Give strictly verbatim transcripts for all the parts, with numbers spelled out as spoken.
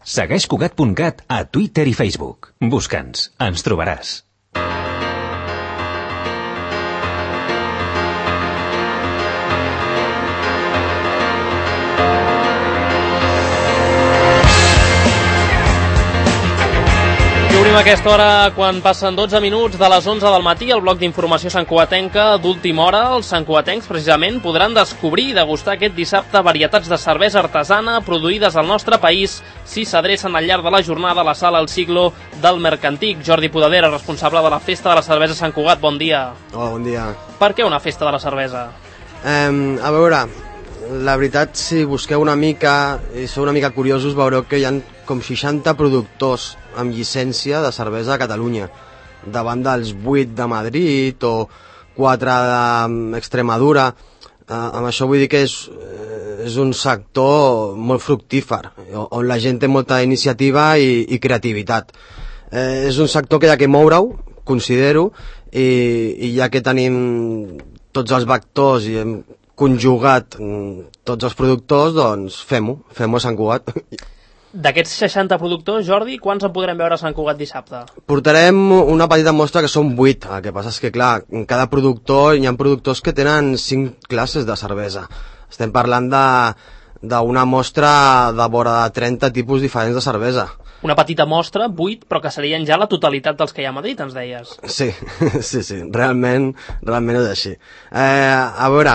Segueix Cugat punt cat a Twitter i Facebook. Busca'ns, ens trobaràs. Obrim aquesta hora quan passen dotze minuts de les onze del matí el bloc d'informació santcugatenca d'última hora. Els santcugatencs precisament podran descobrir i degustar aquest dissabte varietats de cervesa artesana produïdes al nostre país si s'adrecen al llarg de la jornada a la sala El Siglo del Mercantic. Jordi Podadera, responsable de la Festa de la Cervesa Sant Cugat, bon dia. Hola, bon dia. Per què una festa de la cervesa? Um, a veure, la veritat, si busqueu una mica i sou una mica curiosos, veureu que hi ha com seixanta productors amb llicència de cervesa a Catalunya, davant dels vuit de Madrid o quatre d'Extremadura. Eh, amb això vull dir que és, és un sector molt fructífer, on la gent té molta iniciativa i, i creativitat. Eh, és un sector que hi ha que moure-ho, considero, i, i ja que tenim tots els vectors i hem conjugat tots els productors, doncs fem-ho, fem-ho a Sant Cugat. D'aquests seixanta productors, Jordi, quants en podrem veure a Sant Cugat dissabte? Portarem una petita mostra que són vuit. El que passa és que, clar, en cada productor hi ha productors que tenen cinc classes de cervesa. Estem parlant de d'una mostra de vora de trenta tipus diferents de cervesa. Una petita mostra, vuit, però que serien ja la totalitat dels que hi ha a Madrid, ens deies. Sí, sí, sí, realment, realment és així. Eh, a veure,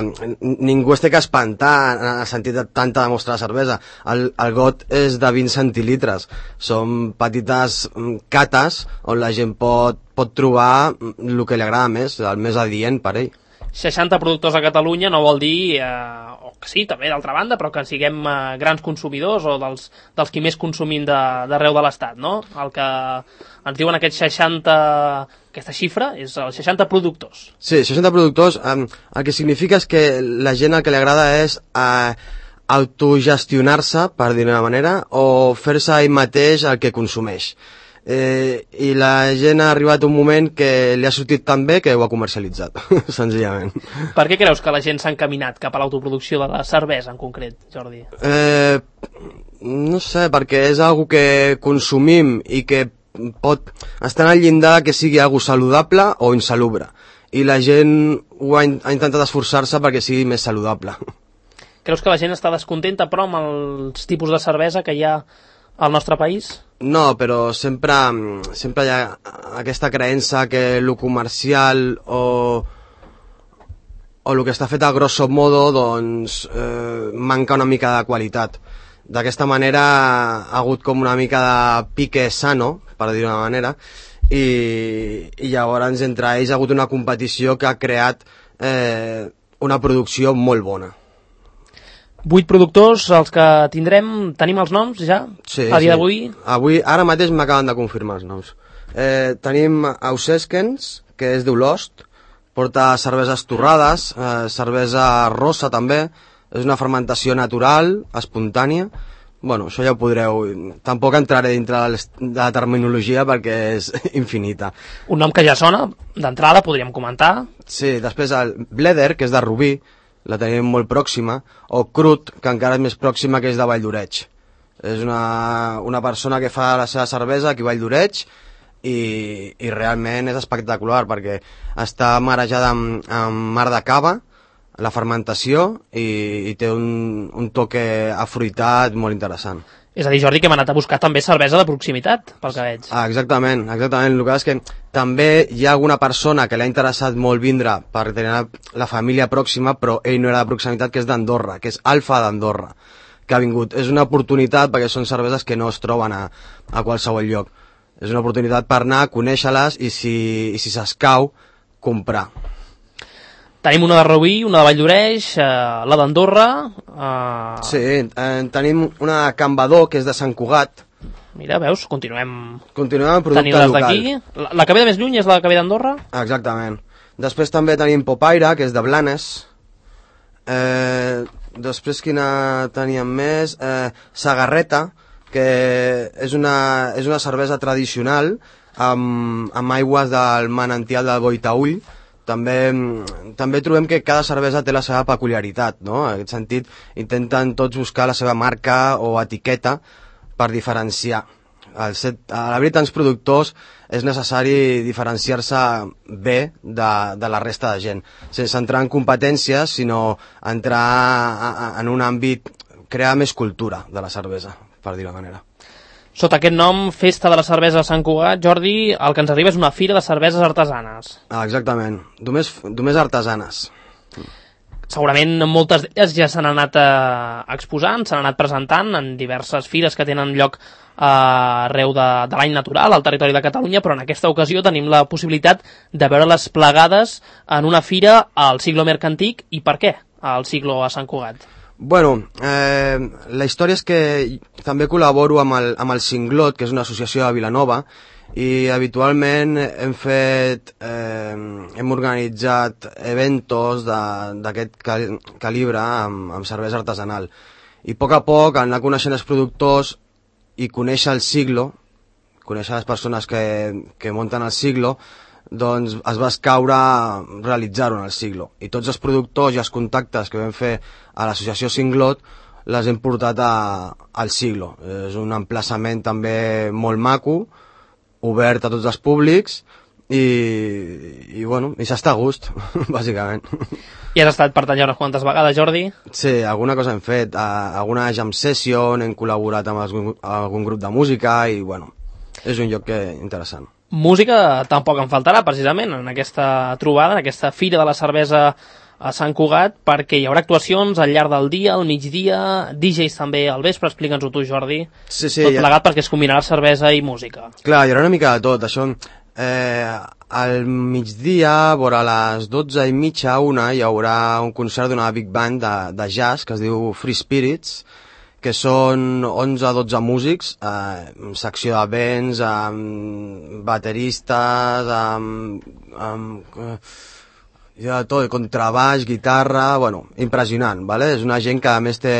ningú es té que espantar en el sentit de tanta mostra de cervesa. El, el got és de vint centilitres. Són petites cates on la gent pot, pot trobar el que li agrada més, el més adient per ell. seixanta productors a Catalunya no vol dir, eh, o que sí, també d'altra banda, però que siguem eh, grans consumidors o dels, dels qui més consumim d'arreu de, de l'Estat, no? El que ens diuen aquests seixanta, aquesta xifra, és els seixanta productors. Sí, seixanta productors, eh, el que significa és que la gent el que li agrada és eh, autogestionar-se, per dir-ho d'una manera, o fer-se ell mateix el que consumeix. Eh, i la gent ha arribat un moment que li ha sortit tan bé que ho ha comercialitzat, senzillament. Per què creus que la gent s'ha encaminat cap a l'autoproducció de la cervesa en concret, Jordi? Eh, no sé, perquè és algo que consumim i que pot estar al llindar que sigui algo saludable o insalubre, i la gent ho ha, ha intentat esforçar-se perquè sigui més saludable. Creus que la gent està descontenta però amb els tipus de cervesa que hi ha al nostre país? No, però sempre, sempre hi ha aquesta creença que el comercial o, o el que està fet a grosso modo doncs, eh, manca una mica de qualitat. D'aquesta manera ha hagut com una mica de pique sano, per dir-ho d'una manera, i, i llavors entre ells ha hagut una competició que ha creat eh, una producció molt bona. Vuit productors, els que tindrem, tenim els noms ja? Sí, a dia sí. d'avui? Avui, ara mateix m'acaben de confirmar els noms. Eh, tenim Auseskens, que és d'Olost, porta cerveses torrades, eh, cervesa rosa també, és una fermentació natural, espontània. Bueno, això ja ho podreu... Tampoc entraré dintre de la terminologia perquè és infinita. Un nom que ja sona, d'entrada podríem comentar. Sí, després el Bleder, que és de Rubí, la tenim molt pròxima, o Crut, que encara és més pròxima, que és de Valldoreix. És una, una persona que fa la seva cervesa aquí a Valldoreix i, i realment és espectacular perquè està marejada amb, amb mar de cava, la fermentació, i, i té un, un toque afruitat molt interessant. És a dir, Jordi, que hem anat a buscar també cervesa de proximitat, pel que veig. Ah, exactament, exactament. El que és que també hi ha alguna persona que l'ha interessat molt vindre per tenir la família pròxima, però ell no era de proximitat, que és d'Andorra, que és Alfa d'Andorra, que ha vingut. És una oportunitat perquè són cerveses que no es troben a, a qualsevol lloc. És una oportunitat per anar, conèixer-les i si, i si s'escau, comprar. Tenim una de Rubí, una de Valldoreix, eh, la d'Andorra... Eh... Sí, eh, tenim una de Can Badó, que és de Sant Cugat. Mira, veus, continuem... Continuem amb producte local. d'aquí. La, la que ve de més lluny és la que ve d'Andorra? Exactament. Després també tenim Popaire, que és de Blanes. Eh, després quina teníem més? Eh, Sagarreta, que és una, és una cervesa tradicional amb, amb aigües del manantial del Boitaüll. També, també trobem que cada cervesa té la seva peculiaritat, no? En aquest sentit, intenten tots buscar la seva marca o etiqueta per diferenciar. El set, a la veritat, els productors és necessari diferenciar-se bé de, de la resta de gent, sense entrar en competències, sinó entrar a, a, en un àmbit, crear més cultura de la cervesa, per dir-ho manera. Sota aquest nom, Festa de la Cervesa de Sant Cugat, Jordi, el que ens arriba és una fira de cerveses artesanes. Ah, exactament, només, només artesanes. Segurament moltes d'elles ja s'han anat eh, exposant, s'han anat presentant en diverses fires que tenen lloc eh, arreu de, de l'any natural al territori de Catalunya, però en aquesta ocasió tenim la possibilitat de veure-les plegades en una fira al Siglo Mercantic. I per què al Siglo a Sant Cugat? Bueno, eh, la història és que també col·laboro amb el, amb el Cinglot, que és una associació de Vilanova, i habitualment hem fet, eh, hem organitzat eventos d'aquest cal, calibre amb, amb cervesa artesanal. I a poc a poc, anar coneixent els productors i conèixer el Siglo, conèixer les persones que, que munten el Siglo, doncs es va escaure realitzar-ho en el Siglo. I tots els productors i els contactes que vam fer a l'associació Cinglot les hem portat a, al Siglo. És un emplaçament també molt maco, obert a tots els públics i, i bueno, i s'està a gust, bàsicament. I has estat per tallar unes quantes vegades, Jordi? Sí, alguna cosa hem fet, alguna jam session, hem col·laborat amb algun, algun grup de música i bueno, és un lloc que, interessant. Música tampoc en faltarà, precisament, en aquesta trobada, en aquesta Fira de la Cervesa a Sant Cugat, perquè hi haurà actuacions al llarg del dia, al migdia, D Js també al vespre. Explica'ns-ho tu, Jordi. Sí, sí, tot plegat ja... perquè es combinarà cervesa i música. Clar, hi haurà una mica de tot, això. Eh, al migdia, vora les dotze i mitja, una, hi haurà un concert d'una big band de, de jazz que es diu Free Spirits, que són onze a dotze músics, eh, amb secció de vents, amb bateristes, amb... amb eh, ja tot, contrabaix, guitarra, bueno, impressionant, ¿vale? És una gent que a més té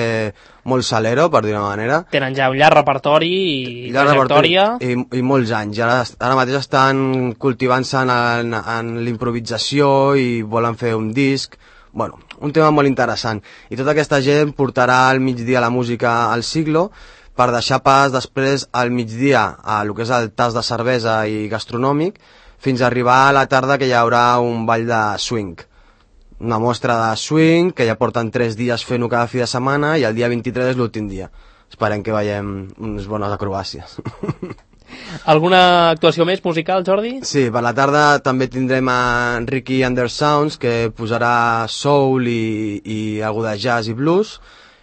molt salero, per dir una manera. Tenen ja un llarg repertori i llarg trajectòria. I, i molts anys. Ara, ara mateix estan cultivant-se en, en l'improvisació i volen fer un disc. Bueno, un tema molt interessant. I tota aquesta gent portarà al migdia la música al Siglo per deixar pas després al migdia a lo que és el tas de cervesa i gastronòmic, fins a arribar a la tarda que hi haurà un ball de swing. Una mostra de swing que ja porten tres dies fent-ho cada fi de setmana i el dia vint-i-tres és l'últim dia. Esperem que veiem unes bones acrobàcies. Alguna actuació més musical, Jordi? Sí, per la tarda també tindrem a Ricky Undersounds, que posarà soul i, i algo de jazz i blues,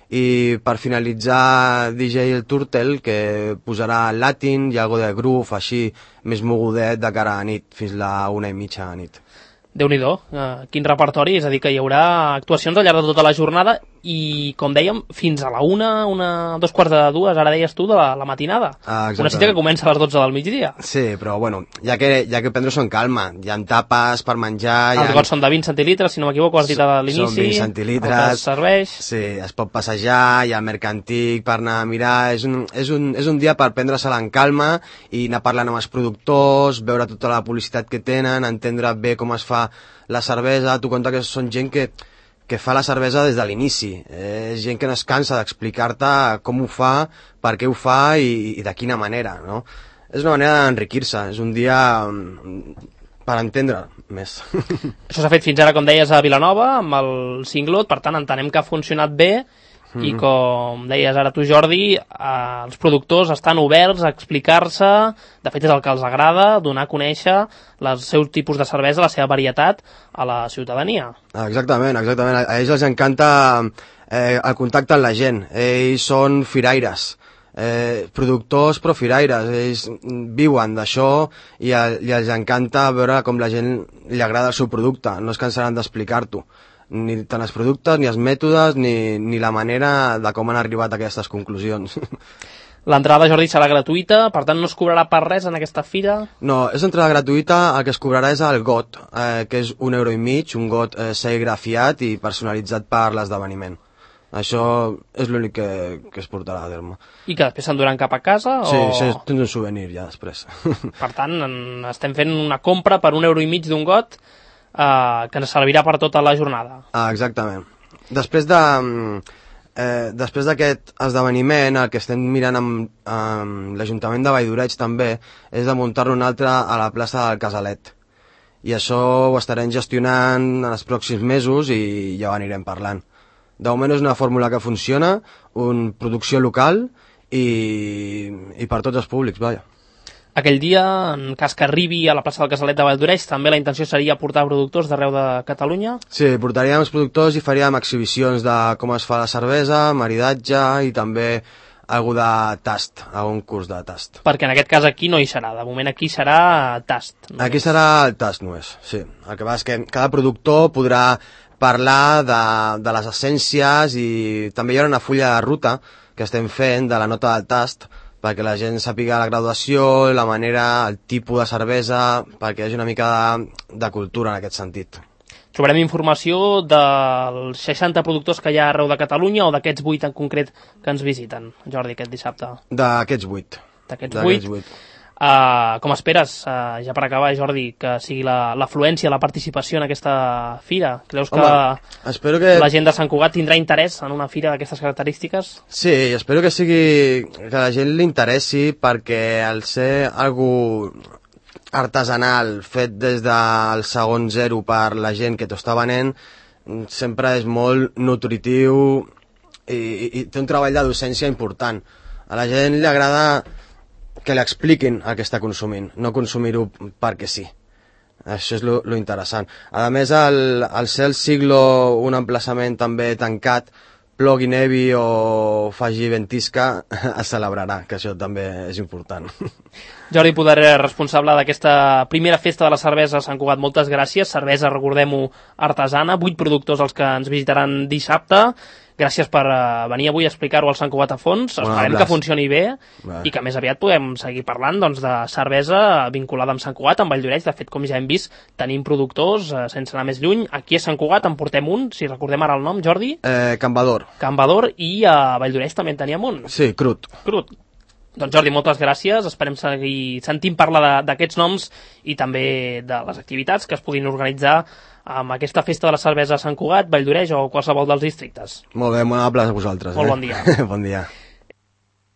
i per finalitzar D J El Turtle, que posarà latin i algo de groove, així més mogudet de cara a nit, fins la una i mitja a nit. Déu-n'hi-do, uh, quin repertori, és a dir que hi haurà actuacions al llarg de tota la jornada i, com dèiem, fins a la una, una, dos quarts de dues, ara deies tu, de la, la matinada. Ah, una cita que comença a les dotze del migdia. Sí, però bueno, ja que, ja que prendre-s'ho en calma, hi ha tapes per menjar... Els gots són de vint centilitres, si no m'equivoco, has dit a l'inici. Són vint centilitres. El que es serveix. Sí, es pot passejar, hi ha mercantic per anar a mirar, és un, és un, és un dia per prendre-se-la en calma i anar parlant amb els productors, veure tota la publicitat que tenen, entendre bé com es fa la cervesa. Tu compte que són gent que, que fa la cervesa des de l'inici, eh, és gent que no es cansa d'explicar-te com ho fa, per què ho fa i, i de quina manera, no? És una manera d'enriquir-se, és un dia per entendre més. Això s'ha fet fins ara, com deies, a Vilanova, amb el Cinglot, per tant entenem que ha funcionat bé. Mm-hmm. I com deies ara tu, Jordi, eh, els productors estan oberts a explicar-se, de fet és el que els agrada, donar a conèixer el seu tipus de cervesa, la seva varietat a la ciutadania. Exactament, exactament. A ells els encanta eh, el contacte amb la gent. Ells són firaires, eh, productors però firaires. Ells viuen d'això i, el, i els encanta veure com la gent li agrada el seu producte. No es cansaran d'explicar-t'ho. Ni tant els productes, ni els mètodes, ni, ni la manera de com han arribat a aquestes conclusions. L'entrada, Jordi, serà gratuïta, per tant no es cobrarà per res en aquesta fira? No, és entrada gratuïta, el que es cobrarà és el got, eh, que és un euro i mig, un got eh, serigrafiat i personalitzat per l'esdeveniment. Això és l'únic que, que es portarà a terme. I que després s'enduran cap a casa? Sí, o... sí, tens un souvenir ja després. Per tant, en, estem fent una compra per un euro i mig d'un got Uh, que ens servirà per tota la jornada. Ah, exactament. Després de, eh, després d'aquest esdeveniment, el que estem mirant amb, amb l'Ajuntament de Valldoreig també és de muntar-ne un altre a la plaça del Casalet. I això ho estarem gestionant en els pròxims mesos i ja ho anirem parlant. De moment és una fórmula que funciona, una producció local i, i per tots els públics, vaja. Aquell dia, en cas que arribi a la plaça del Casalet de Valldoreig, també la intenció seria portar productors d'arreu de Catalunya? Sí, portaríem els productors i faríem exhibicions de com es fa la cervesa, maridatge i també algú de tast, algun curs de tast. Perquè en aquest cas aquí no hi serà, de moment aquí serà tast. Només. Aquí serà el tast només, sí. El que passa és que cada productor podrà parlar de, de les essències i també hi haurà una fulla de ruta que estem fent de la nota del tast perquè la gent sàpiga la graduació, la manera, el tipus de cervesa, perquè hi hagi una mica de, de cultura en aquest sentit. Trobarem informació dels seixanta productors que hi ha arreu de Catalunya o d'aquests vuit en concret que ens visiten, Jordi, aquest dissabte? D'aquests vuit. D'aquests vuit. Uh, com esperes, uh, ja per acabar, Jordi, que sigui l'afluència, la, la participació en aquesta fira? Creus que, Home, espero que la gent de Sant Cugat tindrà interès en una fira d'aquestes característiques? Sí, espero que sigui que la gent li interessi perquè al ser algú artesanal fet des del segon zero per la gent que t'ho està venent sempre és molt nutritiu i, i, i té un treball de docència important. A la gent li agrada que li expliquin el que està consumint, no consumir-ho perquè sí. Això és lo, lo interessant. A més, al, al ser el Siglo un emplaçament també tancat, plogui, nevi o faci ventisca, es celebrarà, que això també és important. Jordi Poder, responsable d'aquesta primera festa de la cervesa a Sant Cugat, moltes gràcies. Cervesa, recordem-ho, artesana, vuit productors els que ens visitaran dissabte. Gràcies per uh, venir avui a explicar-ho al Sant Cugat a fons. Bueno, esperem que funcioni bé Va. I que més aviat podem seguir parlant doncs, de cervesa vinculada amb Sant Cugat, amb Valldoreig. De fet, com ja hem vist, tenim productors, uh, sense anar més lluny. Aquí a Sant Cugat en portem un, si recordem ara el nom, Jordi. Eh, Cambador. Cambador, i a Valldoreig també en teníem un. Sí, Crut. Crut. Doncs Jordi, moltes gràcies. Esperem seguir sentint parlar d'aquests noms i també de les activitats que es puguin organitzar amb aquesta festa de la cervesa a Sant Cugat, Valldoreig o qualsevol dels districtes. Molt bé, molt amable a vosaltres. Molt eh? bon dia. Bon dia.